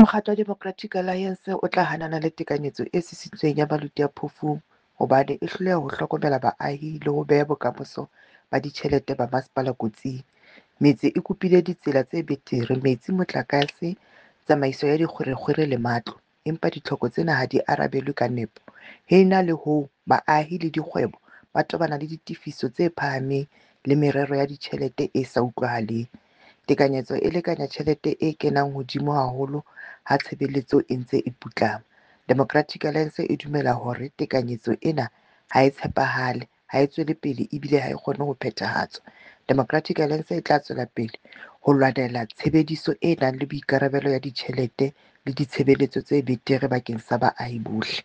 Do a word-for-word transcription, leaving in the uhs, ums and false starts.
Mokgatlo wa Democratic Alliance o tla hanana le tekanyetso e sisintsweng ya Maluti-a-Phofung hobane e hloleha ho hlokomela baahi le ho beha bokamoso ba ditjhelete ba masepala kotsing. Metse e kopile ditsela tse betere, metsi, motlakase, tsamaiso ya dikgwerekgwere le matlo, empa ditlhoko tsena ha di arabelwe ka nepo. Ho ena le hoo, baahi le dikgwebo ba tobana le ditefiso tse phahameng le merero ya ditjhelete e sa utlwahaleng. Tekanyetso e lekanya tjhelete e kenang hodimo haholo ha tshebeletso e ntse e putlama. Democratic Alliance e dumela hore tekanyetso ena ha e tshepahale, ha e tswele pele ebile ha e kgone ho phethahatswa. Democratic Alliance e tla tswela pele ho lwanela tshebediso e nang le boikarabelo ya ditjhelete le ditshebeletso tse betere bakeng sa baahi bohle.